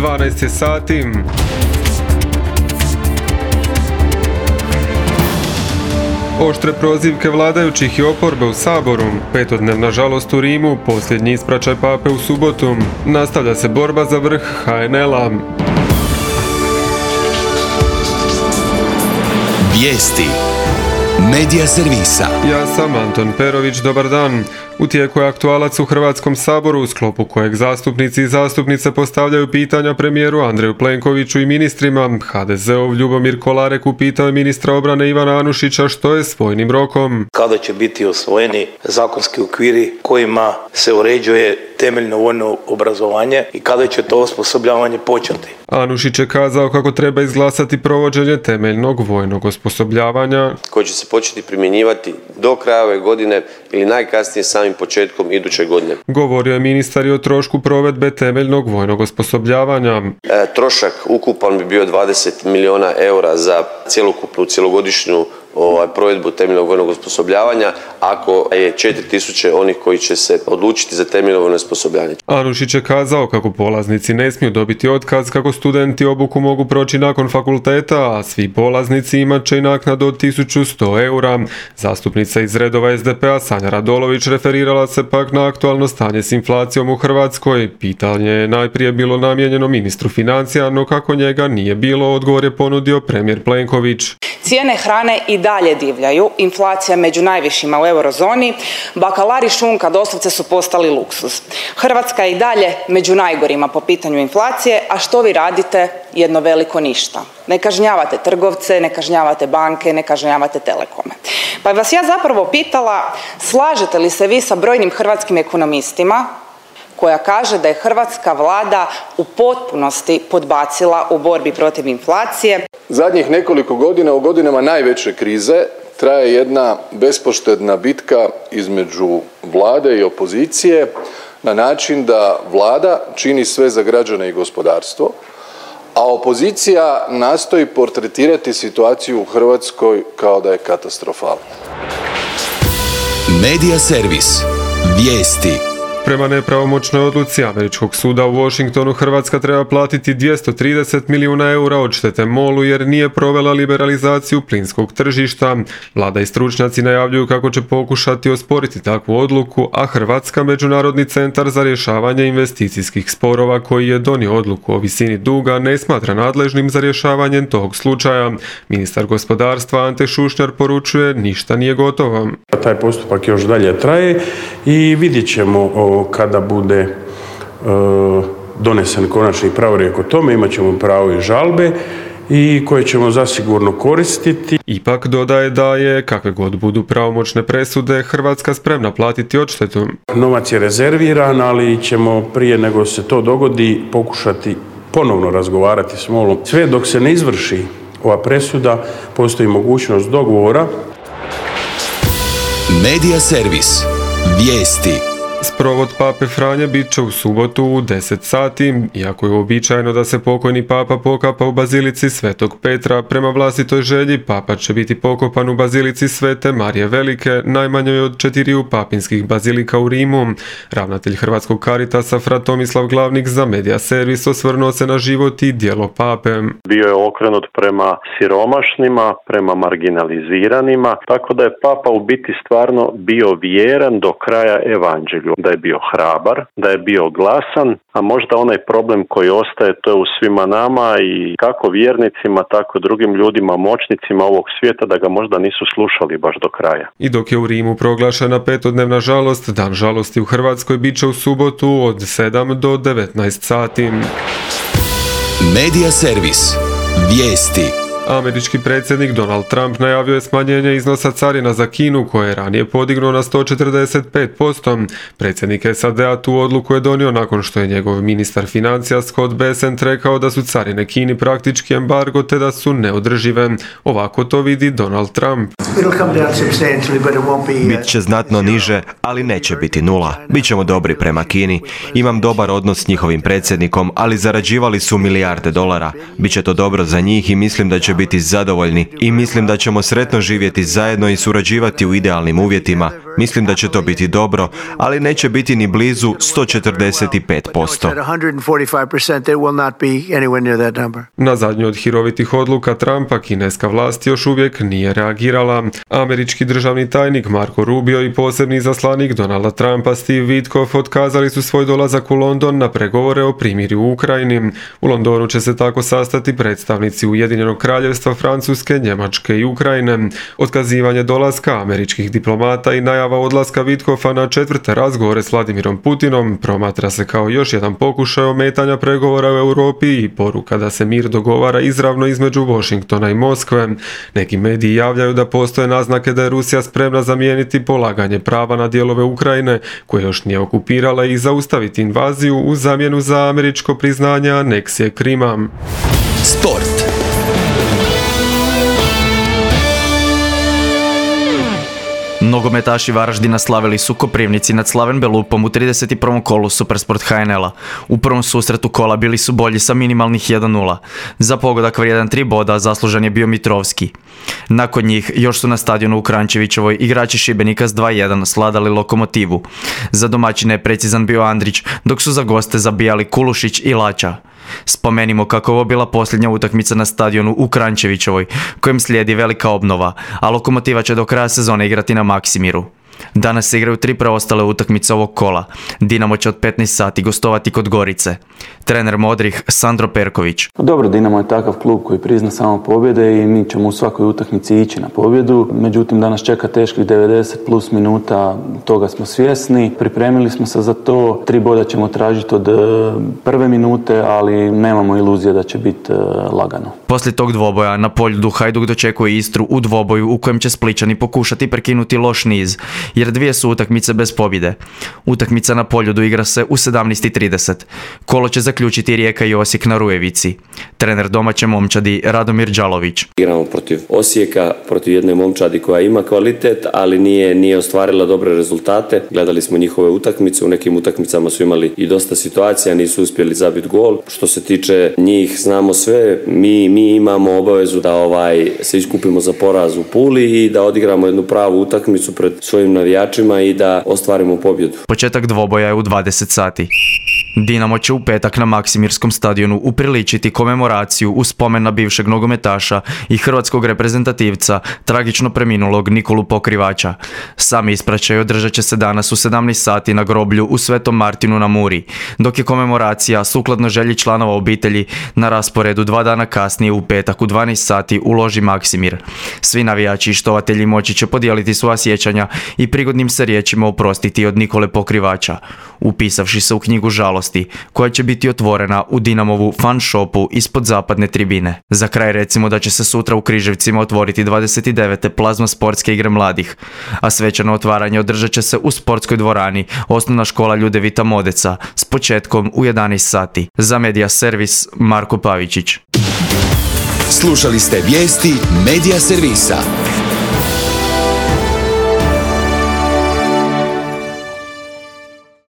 12 je sati. Oštre prozivke vladajućih i oporbe u Saboru, petodnevna žalost u Rimu, posljednji ispraćaj pape u subotu, nastavlja se borba za vrh HNL-a. Vijesti Medija servisa. Ja sam Anton Perović, dobar dan. U tijeku je aktualac u Hrvatskom saboru u sklopu kojeg zastupnici i zastupnice postavljaju pitanja premijeru Andreju Plenkoviću i ministrima. HDZ-ov Ljubomir Kolarek upitao je ministra obrane Ivana Anušića što je s vojnim rokom. Kada će biti osvojeni zakonski okviri kojima se uređuje temeljno vojno obrazovanje i kada će to osposobljavanje početi. Anušić je kazao kako treba izglasati provođenje temeljnog vojnog osposobljavanja koji će se početi primjenjivati do kraja ove godine ili najkasnije samim početkom iduće godine. Govorio je ministar i o trošku provedbe temeljnog vojnog osposobljavanja. Trošak ukupan bi bio 20 milijuna eura za cjelogodišnju provedbu temeljnog vojnog osposobljavanja, ako je 4000 onih koji će se odlučiti za temeljno vojno osposobljavanje. Anušić je kazao kako polaznici ne smiju dobiti otkaz, kako studenti obuku mogu proći nakon fakulteta, a svi polaznici imat će i naknadu od 1100 eura. Zastupnica iz redova SDP-a Sanja Radolović referirala se pak na aktualno stanje s inflacijom u Hrvatskoj. Pitanje je najprije bilo namijenjeno ministru financija, no kako njega nije bilo, odgovor je ponudio premijer Plenković. Cijene hrane i dalje divljaju, inflacija među najvišima u eurozoni, bakalar i šunka doslovce su postali luksuz. Hrvatska je i dalje među najgorima po pitanju inflacije, a što vi radite? Jedno veliko ništa. Ne kažnjavate trgovce, ne kažnjavate banke, ne kažnjavate telekome. Pa vas ja zapravo pitala, slažete li se vi sa brojnim hrvatskim ekonomistima koja kaže da je hrvatska vlada u potpunosti podbacila u borbi protiv inflacije? Zadnjih nekoliko godina, u godinama najveće krize, traje jedna bespoštedna bitka između vlade i opozicije na način da vlada čini sve za građane i gospodarstvo, a opozicija nastoji portretirati situaciju u Hrvatskoj kao da je katastrofalna. Medija servis. Vijesti. Prema nepravomoćnoj odluci američkog suda u Washingtonu, Hrvatska treba platiti 230 milijuna eura odštete MOL-u jer nije provela liberalizaciju plinskog tržišta. Vlada i stručnjaci najavljuju kako će pokušati osporiti takvu odluku, a Hrvatska Međunarodni centar za rješavanje investicijskih sporova koji je donio odluku o visini duga ne smatra nadležnim za rješavanje tog slučaja. Ministar gospodarstva Ante Šušnjar poručuje ništa nije gotovo. Taj postupak još dalje traje i vidjet ćemo kada bude donesen konačni pravorijek o tome, imat ćemo pravo i žalbe i koje ćemo zasigurno koristiti. Ipak dodaje da je, kakve god budu pravomoćne presude, Hrvatska spremna platiti odštetu. Novac je rezerviran, ali ćemo prije nego se to dogodi pokušati ponovno razgovarati s MOL-om. Sve dok se ne izvrši ova presuda, postoji mogućnost dogovora. Medija servis. Vijesti. Sprovod pape Franje bit će u subotu u 10 sati. Iako je uobičajeno da se pokojni papa pokapa u bazilici Svetog Petra, prema vlastitoj želji papa će biti pokopan u bazilici Svete Marije Velike, najmanjoj od 4 papinskih bazilika u Rimu. Ravnatelj Hrvatskog Caritasa fra Tomislav Glavnik za Medija servis osvrnuo se na život i djelo pape. Bio je okrenut prema siromašnima, prema marginaliziranima, tako da je papa u biti stvarno bio vjeran do kraja evanđelju. Da je bio hrabar, da je bio glasan, a možda onaj problem koji ostaje to je u svima nama i kako vjernicima, tako drugim ljudima, moćnicima ovog svijeta da ga možda nisu slušali baš do kraja. I dok je u Rimu proglašena petodnevna žalost, dan žalosti u Hrvatskoj bit će u subotu od 7 do 19 sati. Medija servis. Vijesti. Američki predsjednik Donald Trump najavio je smanjenje iznosa carina za Kinu koje je ranije podignuo na 145%. Predsjednik SAD-a tu odluku je donio nakon što je njegov ministar financija Scott Bessent rekao da su carine Kini praktički embargo te da su neodržive. Ovako to vidi Donald Trump. Bit će znatno niže, ali neće biti nula. Bićemo dobri prema Kini. Imam dobar odnos s njihovim predsjednikom, ali zarađivali su milijarde dolara. Biće to dobro za njih i mislim da će biti zadovoljni i mislim da ćemo sretno živjeti zajedno i surađivati u idealnim uvjetima. Mislim da će to biti dobro, ali neće biti ni blizu 145%. Na zadnju od hirovitih odluka Trumpa kineska vlast još uvijek nije reagirala. Američki državni tajnik Marco Rubio i posebni izaslanik Donalda Trumpa Steve Witkoff otkazali su svoj dolazak u London na pregovore o primirju u Ukrajini. U Londonu će se tako sastati predstavnici Ujedinjenog kraljevstva, Francuske, Njemačke i Ukrajine. Otkazivanje dolaska američkih diplomata i najava odlaska Witkoffa na četvrte razgovore s Vladimirom Putinom promatra se kao još jedan pokušaj ometanja pregovora u Europi i poruka da se mir dogovara izravno između Washingtona i Moskve. Neki mediji javljaju da postoje naznake da je Rusija spremna zamijeniti polaganje prava na dijelove Ukrajine koje još nije okupirala i zaustaviti invaziju u zamjenu za američko priznanje aneksije Krima. Sport. Nogometaši Varaždina slavili su Koprivnici nad Slaven Belupom u 31. kolu Supersport HNL-a. U prvom susretu kola bili su bolji sa minimalnih 1-0. Za pogodak vrijedan 3 boda zaslužan je bio Mitrovski. Nakon njih još su na stadionu u Kranjčevićevoj igrači Šibenika s 2-1 sladali Lokomotivu. Za domaćine je precizan bio Andrić, dok su za goste zabijali Kulušić i Lača. Spomenimo kako ovo bila posljednja utakmica na stadionu u Kranjčevićevoj, kojem slijedi velika obnova, a Lokomotiva će do kraja sezone igrati na Maksimiru. Danas se igraju 3 preostale utakmice ovog kola. Dinamo će od 15 sati gostovati kod Gorice. Trener Modrih Sandro Perković. Dobro, Dinamo je takav klub koji prizna samo pobjede i mi ćemo u svakoj utakmici ići na pobjedu. Međutim, danas čeka teških 90 plus minuta, toga smo svjesni. Pripremili smo se za to. 3 boda ćemo tražiti od prve minute, ali nemamo iluzije da će biti lagano. Poslije tog dvoboja na Poljudu Hajduk dočekuje Istru u dvoboju u kojem će Splićani pokušati prekinuti loš niz, jer 2 su utakmice bez pobjede. Utakmica na Poljudu igra se u 17:30. Kolo će zaključiti Rijeka i Osijek na Rujevici. Trener domaće momčadi Radomir Đalović. Igramo protiv Osijeka, protiv jedne momčadi koja ima kvalitet, ali nije ostvarila dobre rezultate. Gledali smo njihove utakmice, u nekim utakmicama su imali i dosta situacija, nisu uspjeli zabiti gol. Što se tiče njih, znamo sve, mi imamo obavezu da se iskupimo za poraz u Puli i da odigramo jednu pravu utakmicu pred svojim navijačima i da ostvarimo pobjedu. Početak dvoboja je u 20 sati. Dinamo će u petak na Maksimirskom stadionu upriličiti komemoraciju u spomen na bivšeg nogometaša i hrvatskog reprezentativca, tragično preminulog Nikolu Pokrivača. Sami ispraćaj održat će se danas u 17 sati na groblju u Svetom Martinu na Muri, dok je komemoracija, sukladno želji članova obitelji, na rasporedu 2 dana kasnije u petak u 12 sati u loži Maksimir. Svi navijači i štovatelji moći će podijeliti svoja sjećanja i prigodnim se riječima oprostiti od Nikole Pokrivača, upisavši se u knjigu žalosti, koja će biti otvorena u Dinamovu fan shopu ispod zapadne tribine. Za kraj recimo da će se sutra u Križevcima otvoriti 29. plazma sportske igre mladih, a svečano otvaranje održat će se u sportskoj dvorani Osnovna škola Ljudevita Modeca s početkom u 11 sati. Za Medija Servis Marko Pavičić. Slušali ste vijesti Medija Servisa.